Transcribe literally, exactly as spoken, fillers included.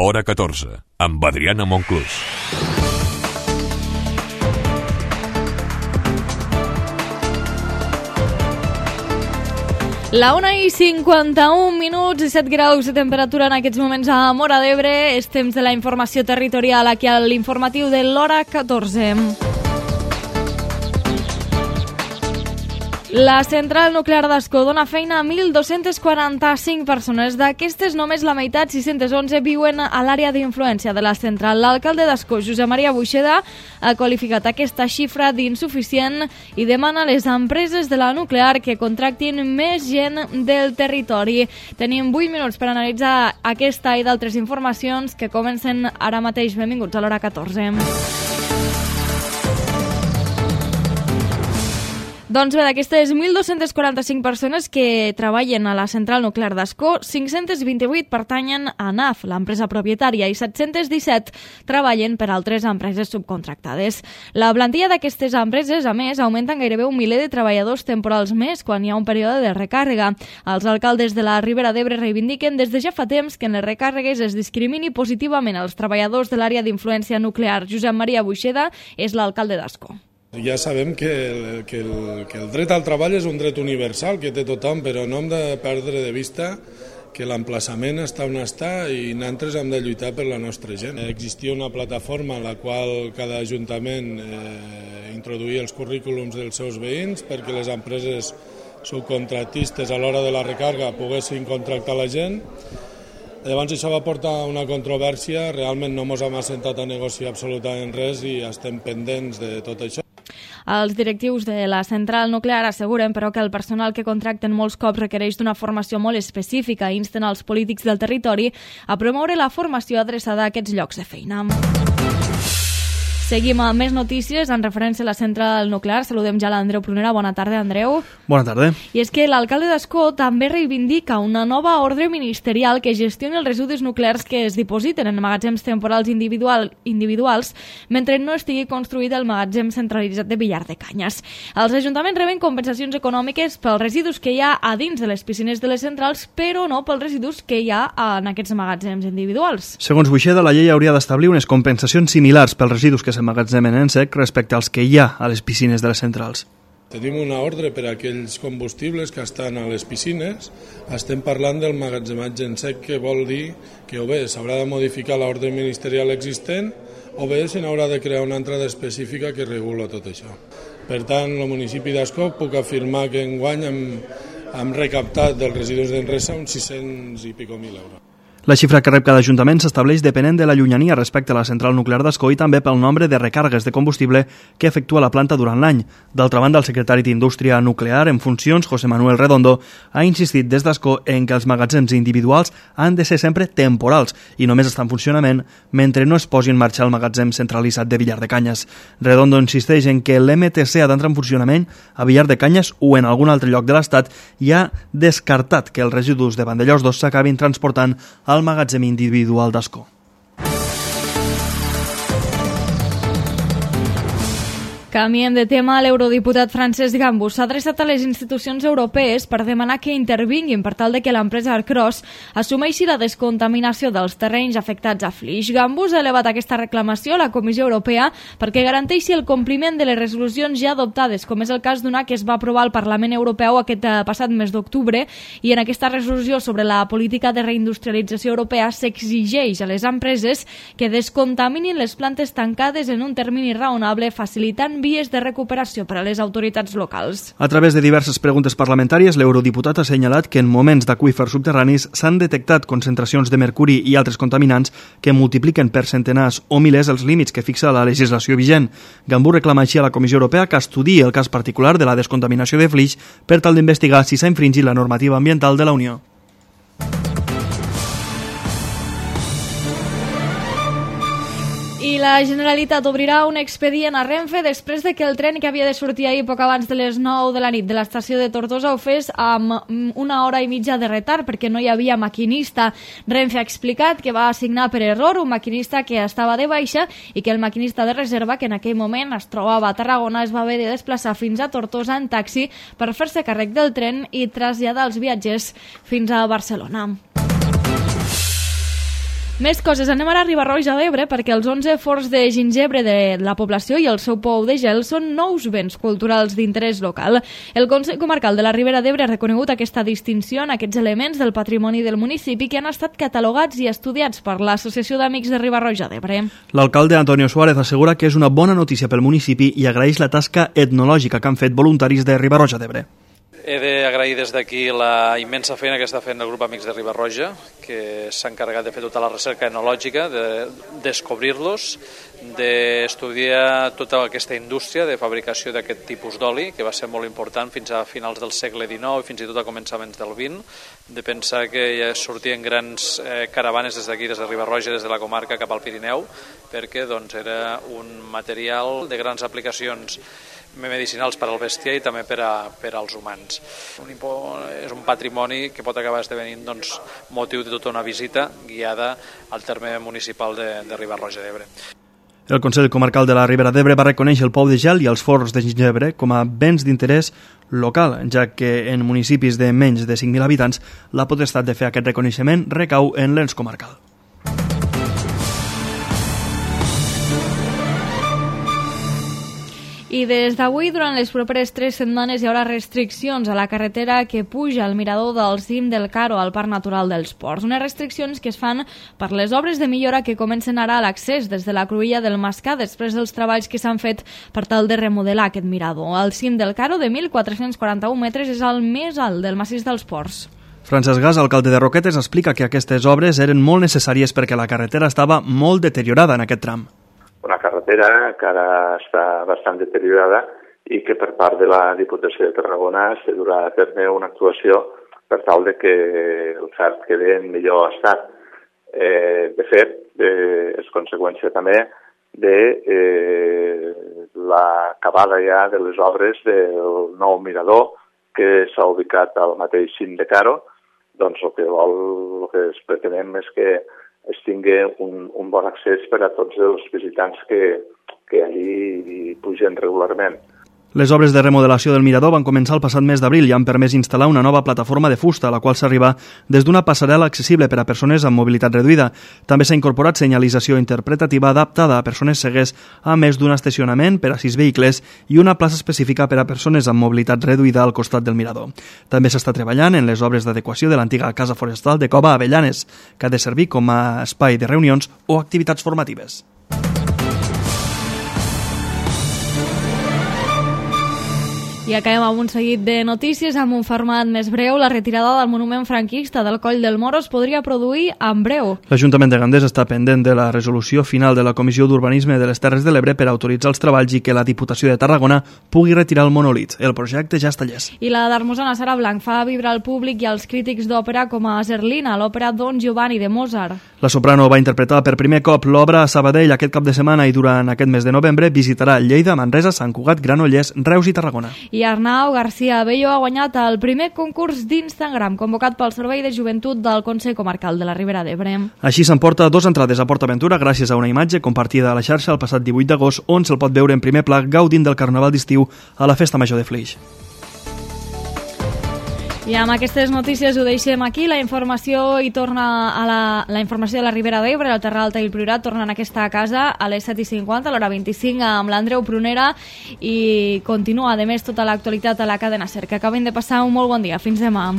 Hora catorze, amb Adriana Monclús. La una i cinquanta-un minuts i set graus de temperatura en aquests moments a Móra d'Ebre. És temps de la informació territorial aquí a l'informatiu de l'Hora catorze. La central nuclear d'Ascó dona feina a mil dos-cents quaranta-cinc persones. D'aquestes, només la meitat, sis-cents onze, viuen a l'àrea d'influència de la central. L'alcalde d'Ascó, Josep Maria Buixeda, ha qualificat aquesta xifra d'insuficient i demana a les empreses de la nuclear que contractin més gent del territori. Tenim vuit minuts per analitzar aquesta i d'altres informacions que comencen ara mateix. Benvinguts a l'Hora catorze. Doncs bé, d'aquestes mil dos-cents quaranta-cinc persones que treballen a la central nuclear d'Ascó, cinc-cents vint-i-vuit pertanyen a N A F, l'empresa propietària, i set-cents disset treballen per altres empreses subcontractades. La plantilla d'aquestes empreses, a més, augmenta en gairebé un miler de treballadors temporals més quan hi ha un període de recàrrega. Els alcaldes de la Ribera d'Ebre reivindiquen des de ja fa temps que en les recàrregues es discrimini positivament els treballadors de l'àrea d'influència nuclear. Josep Maria Buixeda és l'alcalde d'Ascó. Ja sabem que el, que, el, que el dret al treball és un dret universal que té tothom, però no hem de perdre de vista que l'emplaçament està on està i nosaltres hem de lluitar per la nostra gent. Existia una plataforma en la qual cada ajuntament eh, introduïa els currículums dels seus veïns perquè les empreses subcontractistes a l'hora de la recàrrega poguessin contractar la gent. Llavors això va portar una controvèrsia, realment no ens hem assentat a negociar absolutament res i estem pendents de tot això. Els directius de la central nuclear asseguren, però, que el personal que contracten molts cops requereix d'una formació molt específica i insten als polítics del territori a promoure la formació adreçada a aquests llocs de feina. Seguim amb més notícies en referència a la central nuclear. Saludem ja l'Andreu Prunera. Bona tarda, Andreu. Bona tarda. I és que l'alcalde d'Ascó també reivindica una nova ordre ministerial que gestioni els residus nuclears que es dipositen en magatzems temporals individual, individuals mentre no estigui construït el magatzem centralitzat de Villar de Canyes. Els ajuntaments reben compensacions econòmiques pels residus que hi ha a dins de les piscines de les centrals, però no pels residus que hi ha en aquests magatzems individuals. Segons Buixeda, la llei hauria d'establir unes compensacions similars pels residus que s'emmagatzemen en sec respecte als que hi ha a les piscines de les centrals. Tenim una ordre per a aquells combustibles que estan a les piscines. Estem parlant del magatzematge en sec, que vol dir que o bé s'haurà de modificar l'ordre ministerial existent o bé se n'haurà de crear una entrada específica que regula tot això. Per tant, el municipi d'Ascó puc afirmar que enguany hem, hem recaptat dels residus d'Enresa uns sis-cents i pico mil euros. La xifra que rep cada ajuntament s'estableix depenent de la llunyania respecte a la central nuclear d'Ascó i també pel nombre de recàrregues de combustible que efectua la planta durant l'any. D'altra banda, el secretari d'Indústria Nuclear en funcions, José Manuel Redondo, ha insistit des d'Ascó en que els magatzems individuals han de ser sempre temporals i només estan en funcionament mentre no es posi en marxa el magatzem centralitzat de Villar de Canyes. Redondo insisteix en que l'M T C ha d'entrar en funcionament a Villar de Canyes o en algun altre lloc de l'Estat i ha descartat que els residus de Vandellòs dos s'acabin transportant al magatzem individual d'Ascó. Canviem de tema. L'eurodiputat Francesc Gambús s'ha adreçat a les institucions europees per demanar que intervinguin per tal de que l'empresa Arcros assumeixi la descontaminació dels terrenys afectats a Flix. Gambús ha elevat aquesta reclamació a la Comissió Europea perquè garanteixi el compliment de les resolucions ja adoptades, com és el cas d'una que es va aprovar al Parlament Europeu aquest passat mes d'octubre, i en aquesta resolució sobre la política de reindustrialització europea s'exigeix a les empreses que descontaminin les plantes tancades en un termini raonable, facilitant vies de recuperació per a les autoritats locals. A través de diverses preguntes parlamentàries, l'eurodiputat ha assenyalat que en moments d'aqüífers subterranis s'han detectat concentracions de mercuri i altres contaminants que multipliquen per centenars o milers els límits que fixa la legislació vigent. Gambús reclama així a la Comissió Europea que estudiï el cas particular de la descontaminació de Flix per tal d'investigar si s'ha infringit la normativa ambiental de la Unió. I la Generalitat obrirà un expedient a Renfe després de que el tren que havia de sortir ahir poc abans de les nou de la nit de l'estació de Tortosa ho fes amb una hora i mitja de retard perquè no hi havia maquinista. Renfe ha explicat que va assignar per error un maquinista que estava de baixa i que el maquinista de reserva, que en aquell moment es trobava a Tarragona, es va haver de desplaçar fins a Tortosa en taxi per fer-se càrrec del tren i traslladar els viatgers fins a Barcelona. Més coses, anem ara a Riba-roja d'Ebre perquè els onze forns de gingebre de la població i el seu pou de gel són nous béns culturals d'interès local. El Consell Comarcal de la Ribera d'Ebre ha reconegut aquesta distinció en aquests elements del patrimoni del municipi que han estat catalogats i estudiats per l'Associació d'Amics de Riba-roja d'Ebre. L'alcalde Antonio Suárez assegura que és una bona notícia pel municipi i agraeix la tasca etnològica que han fet voluntaris de Riba-roja d'Ebre. He d'agrair des d'aquí la immensa feina que està fent el grup Amics de Riba-roja, que s'ha encarregat de fer tota la recerca etnològica, de descobrir-los, d'estudiar tota aquesta indústria de fabricació d'aquest tipus d'oli, que va ser molt important fins a finals del segle dinou i fins i tot a començaments del vint, de pensar que ja sortien grans eh, caravanes des d'aquí, des de Riba-roja, des de la comarca cap al Pirineu, perquè doncs, era un material de grans aplicacions medicinals per al bestiar i també per, a, per als humans. Un, és un patrimoni que pot acabar esdevenint doncs, motiu de tota una visita guiada al terme municipal de, de Riba-roja d'Ebre. El Consell Comarcal de la Ribera d'Ebre va reconèixer el pou de gel i els forns de gingebre com a béns d'interès local, ja que en municipis de menys de cinc mil habitants la potestat de fer aquest reconeixement recau en l'ens comarcal. I des d'avui, durant les properes tres setmanes, hi haurà restriccions a la carretera que puja al mirador del cim del Caro al Parc Natural dels Ports. Unes restriccions que es fan per les obres de millora que comencen ara a l'accés des de la cruïlla del Mascar després dels treballs que s'han fet per tal de remodelar aquest mirador. El cim del Caro, de mil quatre-cents quaranta-un metres, és el més alt del massís dels Ports. Francesc Gas, alcalde de Roquetes, explica que aquestes obres eren molt necessàries perquè la carretera estava molt deteriorada en aquest tram. Una carretera que ara està bastant deteriorada i que per part de la Diputació de Tarragona se durà a terme una actuació per tal de que el fert quedi en millor estat. Eh, de fet, eh, és conseqüència també de eh, l'acabada ja de les obres del nou mirador que s'ha ubicat al mateix cim de Caro. Doncs el que vol, el que es pretenem és que es tingui un, un bon accés per a tots els visitants que, que allí pugen regularment. Les obres de remodelació del mirador van començar el passat mes d'abril i han permès instal·lar una nova plataforma de fusta, a la qual s'arriba des d'una passarel·la accessible per a persones amb mobilitat reduïda. També s'ha incorporat senyalització interpretativa adaptada a persones cegues, a més d'un estacionament per a sis vehicles i una plaça específica per a persones amb mobilitat reduïda al costat del mirador. També s'està treballant en les obres d'adequació de l'antiga Casa Forestal de Cova Avellanes, que ha de servir com a espai de reunions o activitats formatives. I acabem amb un seguit de notícies amb un format més breu. La retirada del monument franquista del Coll del Moro es podria produir en breu. L'Ajuntament de Gandés està pendent de la resolució final de la Comissió d'Urbanisme de les Terres de l'Ebre per autoritzar els treballs i que la Diputació de Tarragona pugui retirar el monolit. El projecte ja està llest. I la d'Hermosana Sara Blanc fa vibrar al públic i als crítics d'òpera com a Zerlina, l'òpera Don Giovanni de Mozart. La soprano va interpretar per primer cop l'obra a Sabadell aquest cap de setmana i durant aquest mes de novembre visitarà Lleida, Manresa, Sant Cugat, Granollers, Reus i Tarragona. I Arnau García Bello ha guanyat el primer concurs d'Instagram convocat pel Servei de Joventut del Consell Comarcal de la Ribera d'Ebre. Així s'emporta dos entrades a PortAventura gràcies a una imatge compartida a la xarxa el passat divuit d'agost on se'l pot veure en primer pla gaudint del Carnaval d'estiu a la Festa Major de Flix. I amb aquestes notícies ho deixem aquí. La informació hi torna a la, la informació de la Ribera d'Ebre, el Terra Alta i el Priorat tornen a aquesta casa a les set i cinquanta, a l'hora vint-i-cinc, amb l'Andreu Prunera i continua, a més, tota l'actualitat a la cadena SER. Que acabin de passar un molt bon dia. Fins demà.